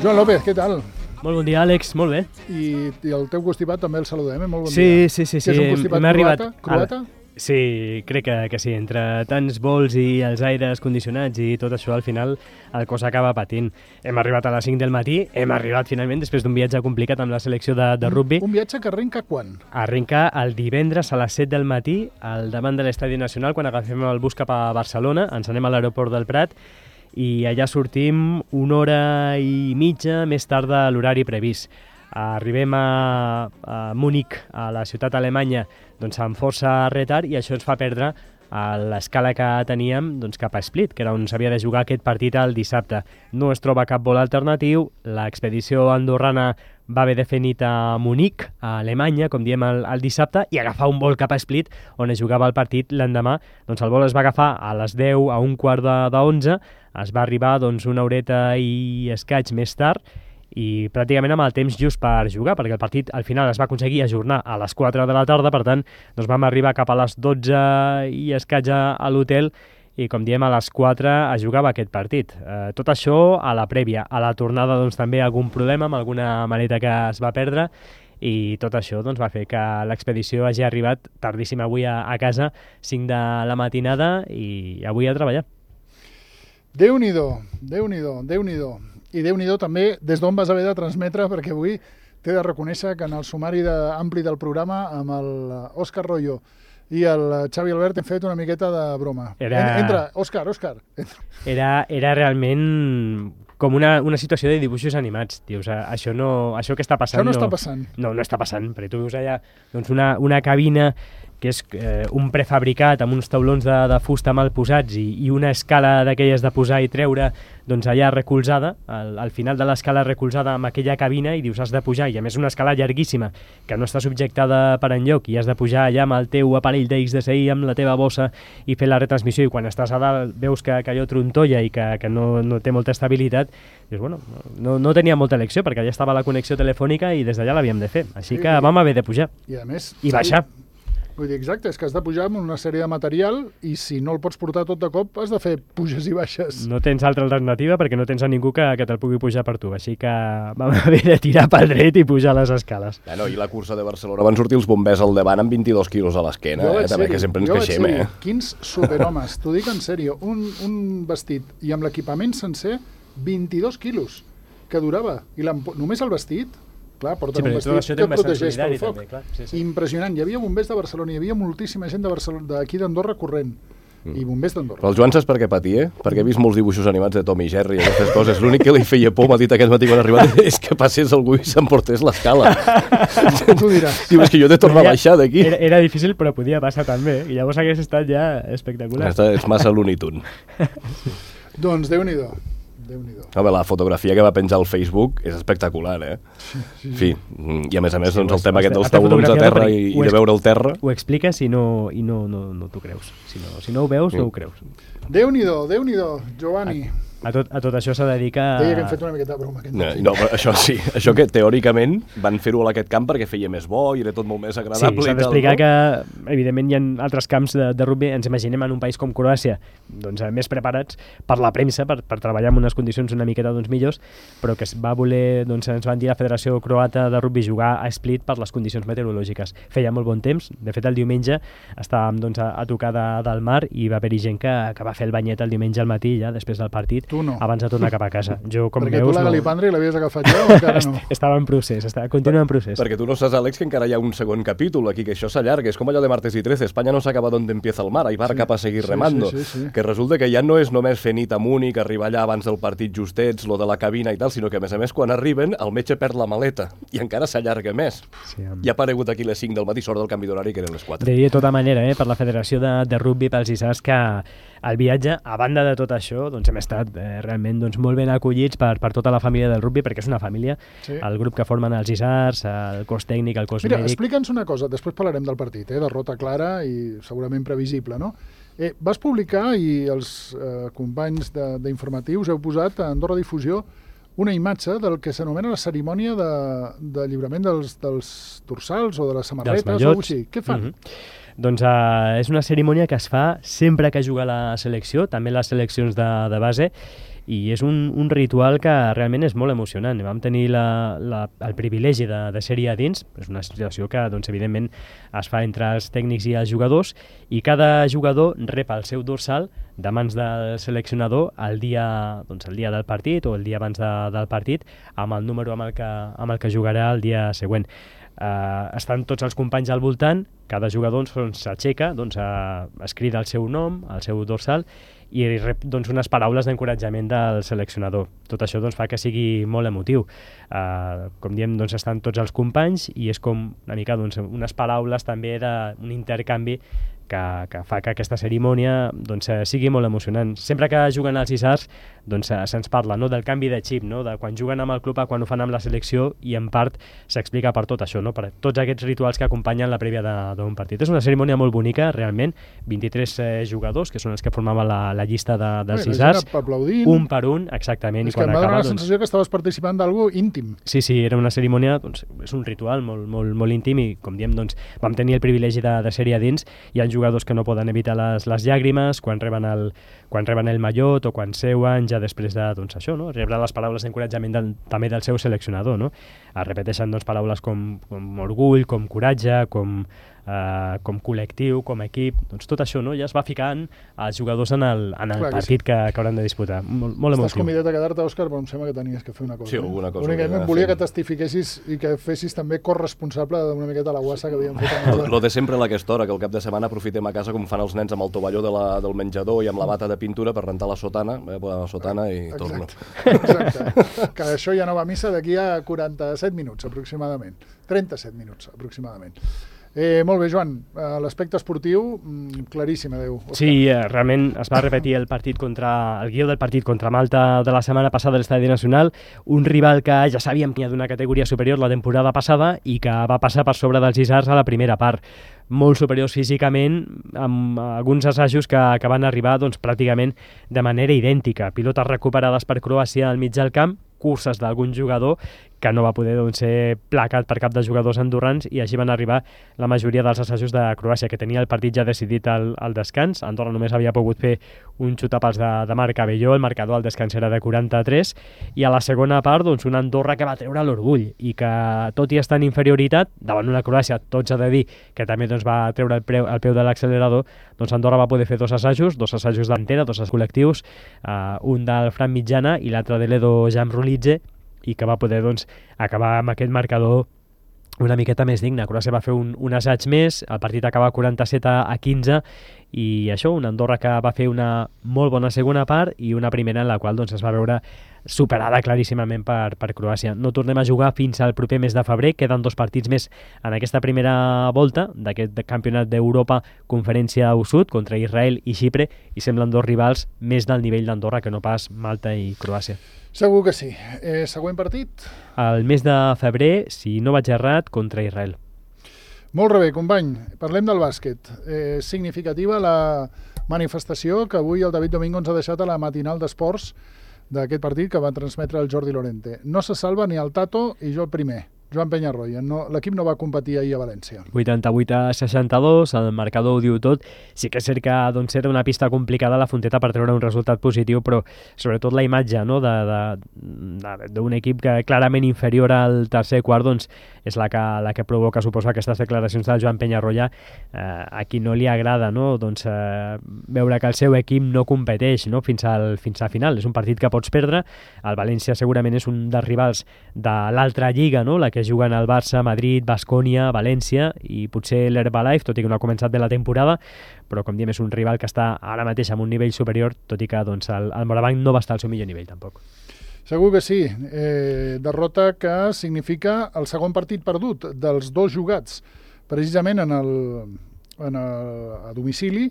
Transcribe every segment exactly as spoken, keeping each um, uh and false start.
Joan López, què tal? Molt bon dia, Àlex, molt bé. I, i el teu constipat també el saludem, eh? Molt bon sí, dia. Sí, sí, sí. Que és un constipat Hem croata? arribat... croata? Sí, crec que, que sí. Entre tants vols i els aires condicionats i tot això, al final el cos acaba patint. Hem arribat a les cinc del matí, hem arribat finalment després d'un viatge complicat amb la selecció de, de rugby. Un, un viatge que arrenca quan? Arrenca el divendres a les set del matí, al davant de l'Estadi Nacional, quan agafem el bus cap a Barcelona, ens anem a l'aeroport del Prat, i allà sortim una hora i mitja més tard de l'horari previst. Arribem a, a Múnich, a la ciutat alemanya, doncs amb força retard, i això ens fa perdre l'escala que teníem doncs, cap a Split, que era on s'havia de jugar aquest partit el dissabte. No es troba cap vol alternatiu, l'expedició andorrana va haver de fer nit a Múnich, a Alemanya, com diem el, el dissabte, i agafar un vol cap a Split, on es jugava el partit l'endemà. Doncs el vol es va agafar a les deu, a un quart de, de onze, es va arribar doncs, una horeta i escaig més tard, i pràcticament amb el temps just per jugar, perquè el partit al final es va aconseguir ajornar a les quatre de la tarda, per tant doncs vam arribar cap a les dotze i escaig a l'hotel, i com diem a les quatre es jugava aquest partit. Eh, tot això a la prèvia. A la tornada doncs també algun problema amb alguna maleta que es va perdre, i tot això doncs, va fer que l'expedició hagi arribat tardíssim avui a, a casa, cinc de la matinada, i avui a treballar. Déu-n'hi-do, Déu-n'hi-do, Déu-n'hi-do. I Déu-n'hi-do també des d'on vas haver de transmetre, perquè avui t'he de reconèixer que en el sumari de, ampli del programa amb l'Òscar Royo i el Xavi Albert hem fet una miqueta de broma. Era... Entra, Òscar, Òscar. Entra. Era, era realment com una, una situació de dibuixos animats. Dius, això, no, això que està passant... Això no, no està passant. No, no està passant, perquè tu veus allà doncs una, una cabina que és eh, un prefabricat amb uns taulons de, de fusta mal posats i, i una escala d'aquelles de posar i treure doncs allà recolzada, al, al final de l'escala recolzada amb aquella cabina, i dius has de pujar, i a més una escala llarguíssima que no està subjectada per enlloc, i has de pujar allà amb el teu aparell d'X D S I, amb la teva bossa, i fer la retransmissió, i quan estàs a dalt veus que, que allò trontolla i que, que no, no té molta estabilitat, dius, bueno, no, no tenia molta elecció, perquè allà estava la connexió telefònica i des d'allà l'havíem de fer, així que vam haver de pujar i, a més, i baixar. Vull dir, exacte, és que has de pujar amb una sèrie de material, i si no el pots portar tot de cop has de fer puges i baixes. No tens altra alternativa perquè no tens a ningú que, que te'l pugui pujar per tu, així que vam haver de tirar pel dret i pujar les escales. Bueno, i la cursa de Barcelona van sortir els bombers al davant amb vint-i-dos quilos a l'esquena, eh? També, que sempre ens queixem, eh? Quins superhomes, t'ho dic en sèrio, un, un vestit i amb l'equipament sencer, vint-i-dos quilos que durava, i només el vestit... Clar, porten sí, un vestit que protegeix pel foc. També, clar. Sí, sí. Impressionant. Hi havia bombers de Barcelona, hi havia moltíssima gent de Barcelona, d'aquí d'Andorra corrent, mm. i bombers d'Andorra. Però el Joan saps per què patia? Perquè he vist molts dibuixos animats de Tom i Jerry i aquestes coses. L'únic que li feia por, m'ha dit aquest matí quan ha arribat, és que passés algú i s'emportés l'escala. Tu diràs. Diu, és que jo he de tornar a baixar d'aquí. Era, era difícil, però podia passar també, i llavors hagués estat ja espectacular. Aquesta és massa Looney Tunes. Doncs Déu-n'hi-do. Déu-n'hi-do. Home, la fotografia que va penjar al Facebook és espectacular, eh? Sí, sí, sí. I a més a més, sí, doncs, el tema aquest dels taulons a terra i, i de veure el terra... Ho expliques i no, i no, no, no t'ho creus. Si no, si no ho veus, sí. no ho creus. Déu-n'hi-do, Déu-n'hi-do, Giovanni. A tot, a tot això s'ha de dir que... Deia que hem fet una miqueta de broma. No, no, però això sí, això que teòricament van fer-ho a aquest camp perquè feia més bo i era tot molt més agradable. Sí, s'ha d'explicar no? que, evidentment, hi ha altres camps de, de rugby, ens imaginem en un país com Croàcia, doncs, més preparats per la premsa, per, per treballar en unes condicions una miqueta doncs, millors, però que es va voler, doncs, ens van dir la Federació Croata de Rugby jugar a Split per les condicions meteorològiques. Feia molt bon temps, de fet el diumenge estàvem doncs, a, a tocar de, del mar, i va haver-hi gent que, que va fer el banyet el diumenge al matí, ja després del partit, no. abans de tornar cap a casa. Jo, com perquè veus, tu la Galipandri no... l'havies agafat ja o encara no? Estava en procés, estava, continua en procés. Perquè tu no saps, Àlex, que encara hi ha un segon capítol aquí, que això s'allarga, és com allò de Martes y trece, Espanya no s'acaba d'on empieza el mar, ahí va sí, cap a seguir sí, remando, sí, sí, sí. que resulta que ja no és només fer nit a Múnich, arribar allà abans del partit justets, lo de la cabina i tal, sinó que a més a més quan arriben el metge perd la maleta i encara s'allarga més. Sí, amb... Ja ha aparegut aquí les cinc del matí, sort del canvi d'horari que eren les quatre. De tota manera, eh, per la Federació de, de Rugby, pels I S A S, que el viatge, a banda de tot això, doncs hem estat eh, realment doncs, molt ben acollits per, per tota la família del rugby, perquè és una família, sí. El grup que formen els I S A S, el cos tècnic, el cos Mira, mèdic... explica'ns una cosa, després parlarem del partit, eh, derrota clara i segurament previsible, no? Eh, vas publicar, i els eh, companys d'informatius heu posat a Andorra Difusió una imatge del que s'anomena la cerimònia de, de lliurament dels, dels dorsals o de les samarretes o alguna cosa així. Què fan? Mm-hmm. Doncs uh, és una cerimònia que es fa sempre que juga la selecció, també les seleccions de, de base, i és un, un ritual que realment és molt emocionant. Vam tenir la, la, el privilegi de, de ser-hi a dins, és una situació que doncs, evidentment es fa entre els tècnics i els jugadors, i cada jugador rep el seu dorsal de mans del seleccionador el dia, doncs, el dia del partit o el dia abans de, del partit amb el número amb el que, amb el que jugarà el dia següent. Uh, estan tots els companys al voltant, cada jugador s'aixeca, doncs, uh, es crida el seu nom, el seu dorsal, i rep doncs, unes paraules d'encoratjament del seleccionador. Tot això doncs, fa que sigui molt emotiu. Uh, com diem, doncs, estan tots els companys i és com una mica doncs, unes paraules també d'un intercanvi que, que fa que aquesta cerimònia doncs, sigui molt emocionant. Sempre que juguen els Isars doncs, se'ns parla, no?, del canvi de xip, no?, de quan juguen amb el club a quan ho fan amb la selecció, i en part s'explica per tot això, no?, per tots aquests rituals que acompanyen la prèvia d'un partit. És una cerimònia molt bonica, realment, vint-i-tres eh, jugadors, que són els que formaven la, la llista de, dels Isars, un per un, exactament. És i quan que em va donar la doncs... sensació que estaves participant d'algú íntim. Sí, sí, era una cerimònia, doncs, és un ritual molt, molt, molt íntim, i com diem, doncs, vam tenir el privilegi de, de ser-hi a dins. Hi ha jugadors que no poden evitar les, les llàgrimes quan reben el, quan reben el mallot o quan seuen ja després de, doncs, això, no?, rebre les paraules d'encoratjament del, també del seu seleccionador, no? Es repeteixen doncs, paraules com, com orgull, com coratge, com, Uh, com col·lectiu, com equip, doncs tot això, no?, ja es va ficant els jugadors en el, en el Clar, partit que, sí. que, que hauran de disputar. Molt, molt emotiu. Estàs convidat a quedar-te, Òscar, però em sembla que tenies que fer una cosa. Sí, alguna cosa. Únicament volia que testifiquessis i que fessis també corresponsable d'una miqueta la guassa que havíem fet. Amb Lo de sempre a aquesta hora, que el cap de setmana aprofitem a casa com fan els nens amb el tovalló de la, del menjador i amb la bata de pintura per rentar la sotana, eh, la sotana i Exacte. torno. Exacte. Que això ja no va a missa d'aquí a quaranta-set minuts, aproximadament. trenta-set minuts, aproximadament. Eh, molt bé, Joan, uh, l'aspecte esportiu claríssim, adeu. Òscar. Sí, eh, realment es va repetir el partit contra el guió del partit contra Malta de la setmana passada a l'Estadi Nacional, un rival que ja sabíem que hi ha d'una categoria superior la temporada passada i que va passar per sobre dels Isars a la primera part, molt superiors físicament, amb alguns assajos que, que van arribar doncs, pràcticament de manera idèntica, pilotes recuperades per Croàcia al mig del camp, curses d'algun jugador que no va poder doncs, ser placat per cap de jugadors andorrans, i així van arribar la majoria dels assajos de Croàcia, que tenia el partit ja decidit al, al descans. Andorra només havia pogut fer un xutapals de, de Marc Abelló, el marcador al descans era de quaranta-tres, i a la segona part doncs, una Andorra que va treure l'orgull i que, tot i estar en inferioritat davant una Croàcia, tots ha de dir que també doncs, va treure el, preu, el peu de l'accelerador, doncs Andorra va poder fer dos assajos, dos assajos d'antera, dos assajos col·lectius, uh, un del Fran Mitjana i l'altre de l'Edo Jamrulidze, i que va poder doncs, acabar amb aquest marcador una miqueta més digne. Croàcia va fer un, un assaig més, el partit acaba quaranta-set a quinze, i això, una Andorra que va fer una molt bona segona part i una primera en la qual doncs, es va veure superada claríssimament per, per Croàcia. No tornem a jugar fins al proper mes de febrer, queden dos partits més en aquesta primera volta d'aquest campionat d'Europa Conferència U Sud contra Israel i Xipre, i semblen dos rivals més del nivell d'Andorra que no pas Malta i Croàcia. Segur que sí. Eh, següent partit? El mes de febrer, si no vaig errat, contra Israel. Molt bé, company. Parlem del bàsquet. Eh, significativa la manifestació que avui el David Domingo ens ha deixat a la matinal d'esports d'aquest partit que va transmetre el Jordi Lorente. No se salva ni el Tato i jo el primer. Joan Penyarroia, no, l'equip no va competir ahir a València. vuitanta-vuit a seixanta-dos, el marcador ho diu tot. Sí que és cert que doncs, era una pista complicada a la Fonteta per treure un resultat positiu, però sobretot la imatge, no?, d'un equip que clarament inferior al tercer quart doncs, és la que, la que provoca, suposo, aquestes declaracions del Joan Penyarroia, eh, a qui no li agrada, no?, doncs, eh, veure que el seu equip no competeix, no?, fins al, fins al final. És un partit que pots perdre. El València segurament és un dels rivals de l'altra lliga, no?, la que juguen el Barça, Madrid, Baskonia, València i potser l'Herbalife, tot i que no ha començat bé la temporada, però com diem és un rival que està ara mateix amb un nivell superior, tot i que doncs, el, el Morabanc no va estar al seu millor nivell tampoc. Segur que sí. Eh, derrota que significa el segon partit perdut dels dos jugats, precisament en el, en el, a domicili,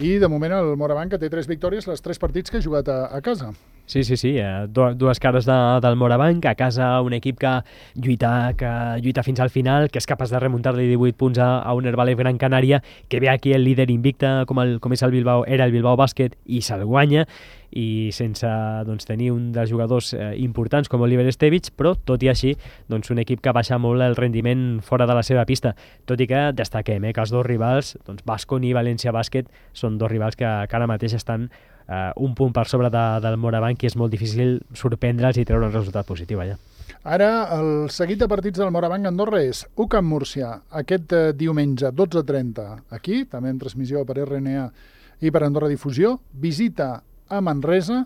i de moment el Morabanc que té tres victòries, les tres partits que ha jugat a, a casa. Sí, sí, sí, eh, dues cares de, del Morabanc, a casa un equip que lluita, que lluita fins al final, que és capaç de remuntar-li divuit punts a, a un Herbalife Gran Canària, que ve aquí el líder invicte com, el, com és el Bilbao, era el Bilbao Bàsquet, i se'l guanya, i sense doncs, tenir un dels jugadors eh, importants com Oliver Estevich, però tot i així doncs, un equip que baixa molt el rendiment fora de la seva pista, tot i que destaquem eh, que els dos rivals, doncs, Baskonia i València Bàsquet, són dos rivals que, que ara mateix estan uh, un punt per sobre de, del Morabanc, i és molt difícil sorprendre'ls i treure un resultat positiu allà. Ara, el seguit de partits del Morabanc Andorra és U C A M Múrcia, aquest eh, diumenge, dotze trenta, aquí, també en transmissió per R N A i per Andorra Difusió, visita a Manresa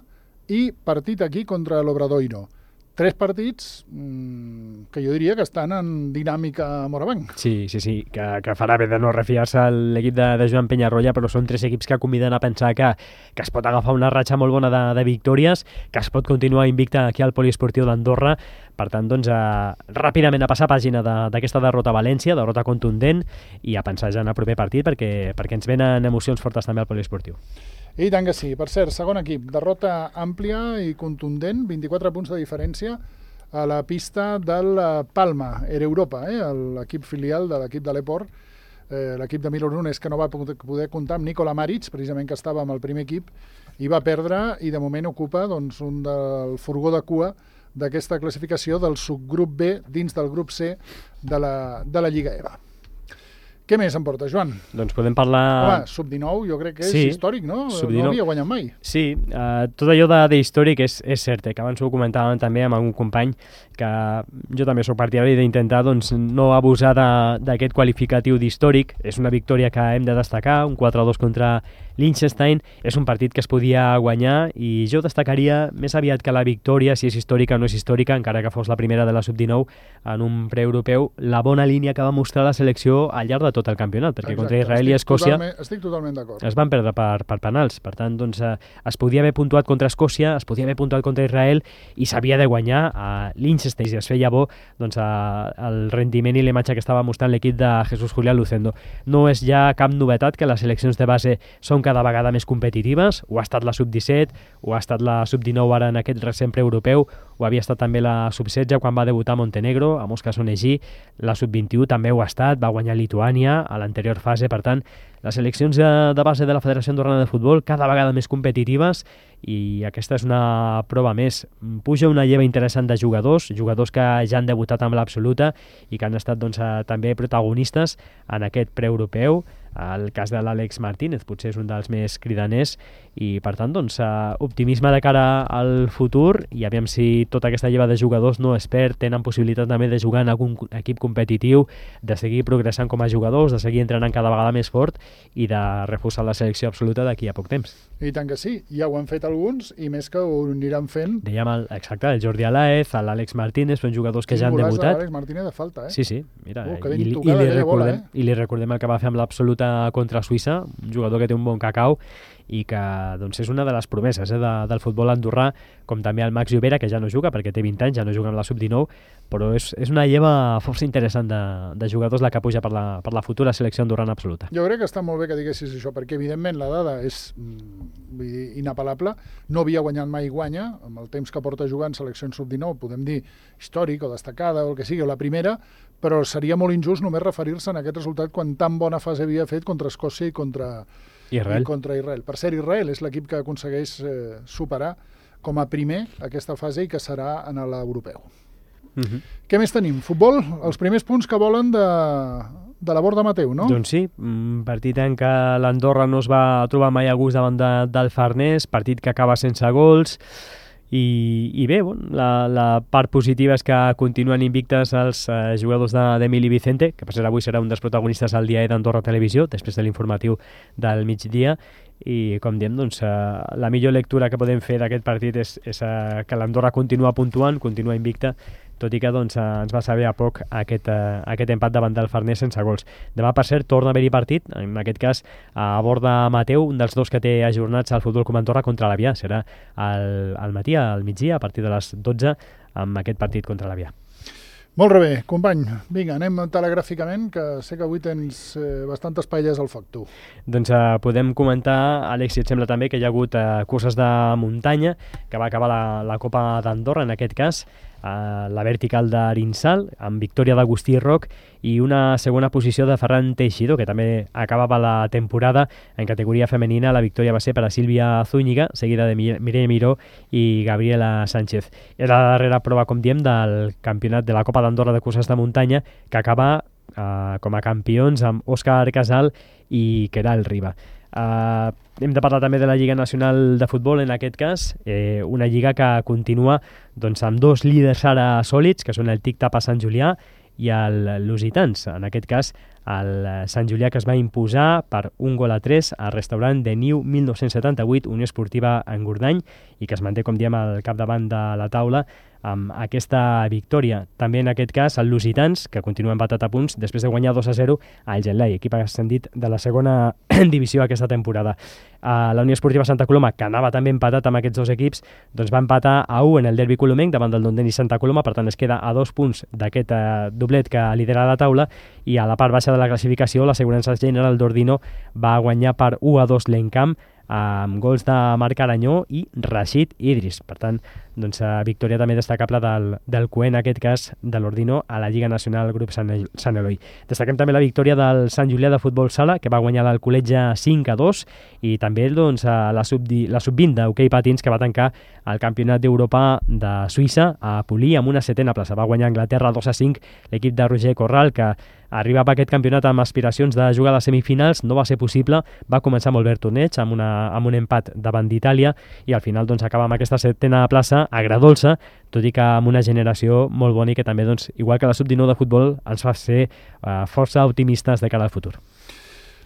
i partit aquí contra l'Obradoiro. Tres partits mmm, que jo diria que estan en dinàmica Morabanc. Sí, sí, sí, que, que farà bé de no refiar-se l'equip de, de Joan Penyarroia, però són tres equips que conviden a pensar que, que es pot agafar una ratxa molt bona de, de victòries, que es pot continuar invicta aquí al Poliesportiu d'Andorra. Per tant, doncs, eh, ràpidament a passar pàgina d'aquesta de, derrota a València, derrota contundent, i a pensar ja en el proper partit, perquè, perquè ens venen emocions fortes també al Poliesportiu. I tant que sí. Per cert, segon equip, derrota àmplia i contundent, vint-i-quatre punts de diferència a la pista del Palma, Era Europa, eh? l'equip filial de l'equip de l'Eport, eh, l'equip de Milo Nunes, que no va poder comptar amb Nikola Maric, precisament que estava amb el primer equip, i va perdre, i de moment ocupa doncs, un del furgó de cua d'aquesta classificació del subgrup B dins del grup C de la, de la Lliga E V A. Què més em porta, Joan? Doncs podem parlar... Home, sub dinou jo crec que és sí, històric, no? sub dinou. No havia guanyat mai. Sí, uh, tot allò de, de històric és, és cert, eh, que abans ho comentàvem també amb algun company, que jo també soc partidari d'intentar doncs, no abusar d'aquest qualificatiu d'històric. És una victòria que hem de destacar, un quatre a dos contra Liechtenstein, és un partit que es podia guanyar, i jo destacaria més aviat que la victòria, si és històrica o no és històrica, encara que fos la primera de la sub dinou en un preeuropeu, la bona línia que va mostrar la selecció al llarg de tot el campionat, perquè Exacte. Contra Israel i Escòcia totalment, estic totalment d'acord. Es van perdre per, per penals. Per tant, doncs, eh, es podia haver puntuat contra Escòcia, es podia haver puntuat contra Israel, i s'havia de guanyar a Liechtenstein, i es feia bo doncs, a, el rendiment i l'imatge que estava mostrant l'equip de Jesús Julián Lucendo. No és ja cap novetat que les seleccions de base són cada vegada més competitives. Ho ha estat la sub disset, ho ha estat la sub dinou ara en aquest recent preeuropeu, ho havia estat també la sub setze quan va debutar Montenegro, a Mosca Sonegi, la sub vint-i-u també ho ha estat, va guanyar Lituània a l'anterior fase. Per tant, les seleccions de, de base de la Federació Andorrana de Futbol cada vegada més competitives, i aquesta és una prova més. Puja una lleva interessant de jugadors, jugadors que ja han debutat amb l'absoluta i que han estat doncs, també protagonistes en aquest preeuropeu. El cas de l'Àlex Martínez potser és un dels més cridaners, i per tant doncs, optimisme de cara al futur, i aviam si tota aquesta lleva de jugadors no es perd, tenen possibilitat també de jugar en algun equip competitiu, de seguir progressant com a jugadors, de seguir entrenant cada vegada més fort i de reforçar la selecció absoluta d'aquí a poc temps. I tant que sí, ja ho han fet alguns, i més que ho aniran fent. Dèiem, el, exacte, el Jordi Alaez, l'Àlex Martínez, són jugadors que ja han debutat. L'Àlex Martínez de falta, eh? Sí, sí, mira, uh, i, i, i, li recordem, bola, eh? i li recordem el que va fer amb l'absoluta contra Suïssa, un jugador que té un bon cacau i que doncs, és una de les promeses eh, de, del futbol andorrà, com també el Max Llobera, que ja no juga perquè té vint anys, ja no juga amb la sub dinou, però és, és una lleva força interessant de, de jugadors la que puja per la, per la futura selecció andorrana absoluta. Jo crec que està molt bé que diguessis això, perquè evidentment la dada és vull dir, inapel·lable, no havia guanyat mai, guanya, amb el temps que porta jugant seleccions sub dinou, podem dir històric o destacada o el que sigui, o la primera, però seria molt injust només referir-se en aquest resultat quan tan bona fase havia fet contra Escòcia i contra Israel. I contra Israel. Per cert, Israel és l'equip que aconsegueix eh, superar com a primer aquesta fase i que serà en l'europeu. Uh-huh. Què més tenim? Futbol? Els primers punts que volen de, de la Borda Mateu, no? Doncs sí, un partit en què l'Andorra no es va trobar mai a gust davant de, del Farners, partit que acaba sense gols. I, i bé, bon, la, la part positiva és que continuen invictes els eh, jugadors d'Emili Vicente, que per cert avui serà un dels protagonistes al dia E d'Andorra Televisió, després de l'informatiu del migdia, i com diem, doncs, eh, la millor lectura que podem fer d'aquest partit és, és eh, que l'Andorra continua puntuant, continua invicta, tot i que doncs, ens va saber a poc aquest, uh, aquest empat davant del Farners sense gols. Demà, per cert, torna a haver-hi partit, en aquest cas a Borda Mateu, un dels dos que té ajornats al Futbol Club Andorra contra l'Avià. Serà al, al matí, al migdia, a partir de les dotze, amb aquest partit contra l'Avià. Molt bé, company. Vinga, anem telegràficament, que sé que avui tens eh, bastantes paelles al foc, tu. Doncs eh, podem comentar, Àlex, si et sembla també, que hi ha hagut eh, curses de muntanya, que va acabar la, la Copa d'Andorra, en aquest cas, Uh, la vertical d'Arinsal, amb victòria d'Agustí Roc i una segona posició de Ferran Teixidor, que també acabava la temporada en categoria femenina. La victòria va ser per a Sílvia Zúñiga, seguida de Mireia Miró i Gabriela Sánchez. Era la darrera prova, com diem, del campionat de la Copa d'Andorra de curses de muntanya, que acaba uh, com a campions amb Òscar Casal i Queralt Riba. Uh, hem de parlar també de la Lliga Nacional de Futbol, en aquest cas, eh, una lliga que continua doncs, amb dos líders ara sòlids, que són el Tic-Tap a Sant Julià i el Lusitans. En aquest cas, el Sant Julià, que es va imposar per un gol a tres al restaurant de Niu mil nou-cents setanta-vuit, Unió Esportiva Engordany, i que es manté, com diem, al capdavant de la taula amb aquesta victòria. També en aquest cas el Lusitans, que continua empatat a punts després de guanyar dos a zero al Gelai, equip ascendit de la segona divisió aquesta temporada. Uh, la Unió Esportiva Santa Coloma, que anava també empatat amb aquests dos equips, doncs va empatar a u en el derbi colomenc davant del Dondeni Santa Coloma, per tant es queda a dos punts d'aquest uh, doblet que lidera la taula, i a la part baixa de la classificació l'Assegurança General d'Ordino va guanyar per u a dos l'Encamp, amb gols de Marc Aranyó i Rashid Idris. Per tant, doncs, victòria també destacable del, del Cué, en aquest cas de l'Ordino, a la Lliga Nacional Grup Sant, El Sant Eloi. Destaquem també la victòria del Sant Julià de Futbol Sala, que va guanyar l'Alcoletge cinc a dos, i també doncs, la sub vint d'hoquei patins, que va tancar el Campionat d'Europa de Suïssa a Pulí amb una setena plaça. Va guanyar Anglaterra dos a cinc l'equip de Roger Corral, que arribava a aquest campionat amb aspiracions de jugar a les semifinals, no va ser possible, va començar molt bé el torneig amb, una, amb un empat davant d'Itàlia, i al final doncs, acaba amb aquesta setena plaça agradolça, tot i que amb una generació molt bona i que també, doncs, igual que la sub dinou de futbol, ens fa ser uh, força optimistes de cara al futur.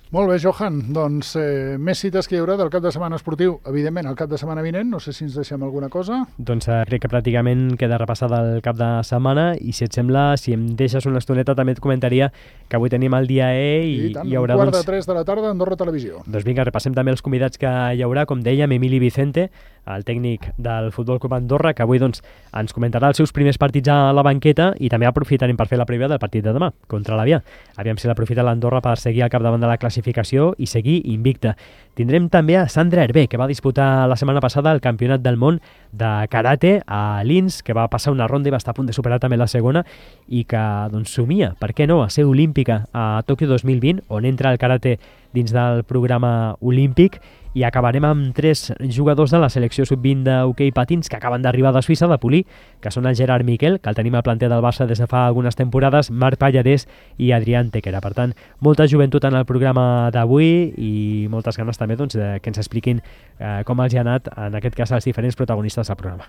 Molt bé, Johan. Doncs eh, més cites que hi haurà del cap de setmana esportiu. Evidentment, el cap de setmana vinent, no sé si ens deixem alguna cosa. Doncs eh, crec que pràcticament queda repassada el cap de setmana, i si et sembla, si em deixes una estoneta, també et comentaria que avui tenim el dia E i, I tant, hi haurà... un quart doncs, de tres de la tarda, Andorra Televisió. Doncs vinga, repassem també els convidats que hi haurà, com dèiem, Emili Vicente, el tècnic del Futbol Club Andorra, que avui doncs, ens comentarà els seus primers partits a la banqueta, i també aprofitarem per fer la prèvia del partit de demà, contra l'Avià. Aviam si l'aprofita l'Andorra per seguir al capdavant de la classificació i seguir invicta. Tindrem també a Sandra Hervé, que va disputar la setmana passada el Campionat del Món de Karate a Linz, que va passar una ronda i va estar a punt de superar també la segona, i que doncs, somia, per què no, a ser olímpica a Tòquio dos mil vint, on entra el karate dins del programa olímpic. I acabarem amb tres jugadors de la selecció sub vint d'hoquei patins que acaben d'arribar de Suïssa, de Pulí, que són el Gerard Miquel, que el tenim al planter del Barça des de fa algunes temporades, Marc Pallarès i Adrián Tequera. Per tant, molta joventut en el programa d'avui i moltes ganes també doncs, de que ens expliquin eh, com els hi ha anat, en aquest cas, els diferents protagonistes del programa.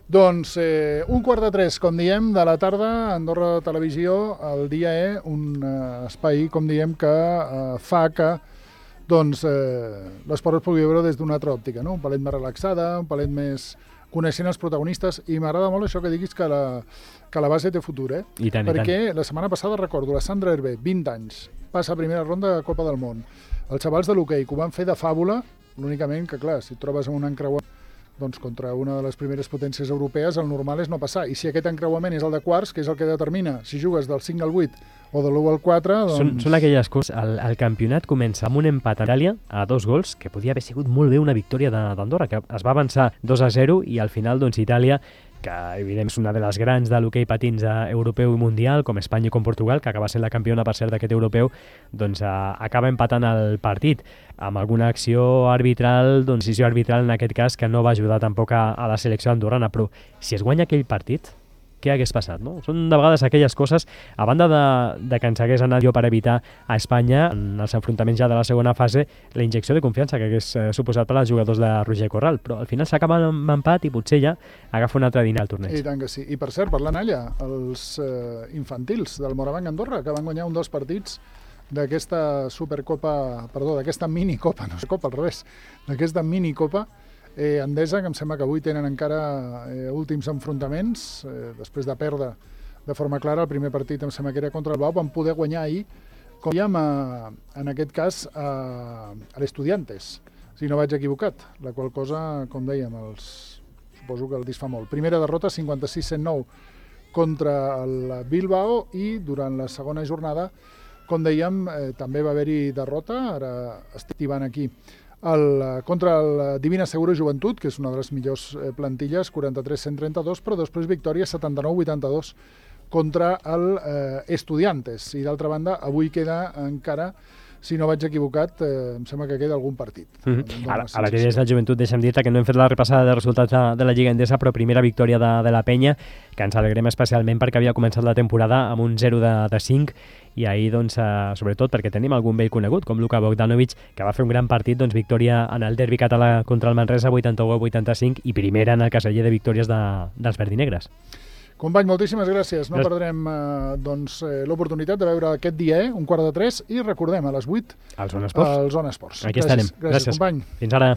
Doncs eh, un quart de tres, com diem, de la tarda, Andorra Televisió, el dia E, un eh, espai, com diem, que eh, fa que doncs eh, l'esport es pugui veure des d'una altra òptica, no? Un palet més relaxada, un palet més coneixent els protagonistes, i m'agrada molt això que diguis que la, que la base té futur, eh? I tant, perquè i tant. La setmana passada, recordo, la Sandra Hervé, vint anys, passa a primera ronda de Copa del Món. Els xavals de l'hoquei, que ho van fer de fàbula, l'únicament que, clar, si et trobes en un encreuament doncs contra una de les primeres potències europees, el normal és no passar. I si aquest encreuament és el de quarts, que és el que determina si jugues del cinc al vuit o de l'u al quatre, doncs... Són, són aquelles coses... El, el campionat comença amb un empat a Itàlia a dos gols, que podia haver sigut molt bé una victòria d'Andorra, que es va avançar dos a zero, i al final, doncs, Itàlia, que evidentment és una de les grans de l'hoquei patins europeu i mundial, com Espanya i com Portugal, que acaba sent la campiona, per cert, d'aquest europeu, doncs eh, acaba empatant el partit amb alguna acció arbitral, doncs decisió arbitral en aquest cas, que no va ajudar tampoc a, a la selecció andorrana. Però si es guanya aquell partit, què hagués passat, no? Són de vegades aquelles coses, a banda de, de que ens hagués anat jo per evitar a Espanya, en els enfrontaments ja de la segona fase, la injecció de confiança que hagués eh, suposat per als jugadors de Roger Corral, però al final s'acaba amb empat i potser ja agafa un altre dinar al torneig. I tant que sí. I per cert, parlant allà, els eh, infantils del Morabanc Andorra, que van guanyar un dels partits d'aquesta Supercopa, perdó, d'aquesta minicopa, no és copa, al revés, d'aquesta minicopa, Eh, Endesa, que em sembla que avui tenen encara eh, últims enfrontaments, eh, després de perdre de forma clara el primer partit, em sembla que era contra el Bau, van poder guanyar ahir, com dèiem, a, en aquest cas, a, a l'Estudiantes, si no vaig equivocat, la qual cosa, com dèiem, els, suposo que el disfa molt. Primera derrota, cinquanta-sis a cent nou contra el Bilbao, i durant la segona jornada, com dèiem, eh, també va haver-hi derrota, ara estic tibant aquí, El, contra el Divina Segura Joventut, que és una de les millors plantilles, quaranta-tres a cent trenta-dos, però després victòria setanta-nou a vuitanta-dos contra el eh, Estudiantes. I d'altra banda, avui queda encara si no vaig equivocat, eh, em sembla que queda algun partit. Mm-hmm. A, a la que des del Joventut, deixa'm dir-te que no hem fet la repassada de resultats de, de la Lliga Endesa, però primera victòria de, de la Penya, que ens alegrem especialment perquè havia començat la temporada amb un zero de, de cinc, i ahir, doncs, eh, sobretot perquè tenim algun vell conegut, com Luka Bogdanovic, que va fer un gran partit, doncs, victòria en el derbi català contra el Manresa, vuitanta-u a vuitanta-cinc, i primera en el caseller de victòries de, dels verdinegres. Company, moltíssimes gràcies. No perdrem eh, doncs, eh, l'oportunitat de veure aquest dia, eh, un quart de tres, i recordem, a les vuit, al Zona Esports. Al Zona Esports. Aquí gràcies. estarem. Gràcies, gràcies, company. Fins ara.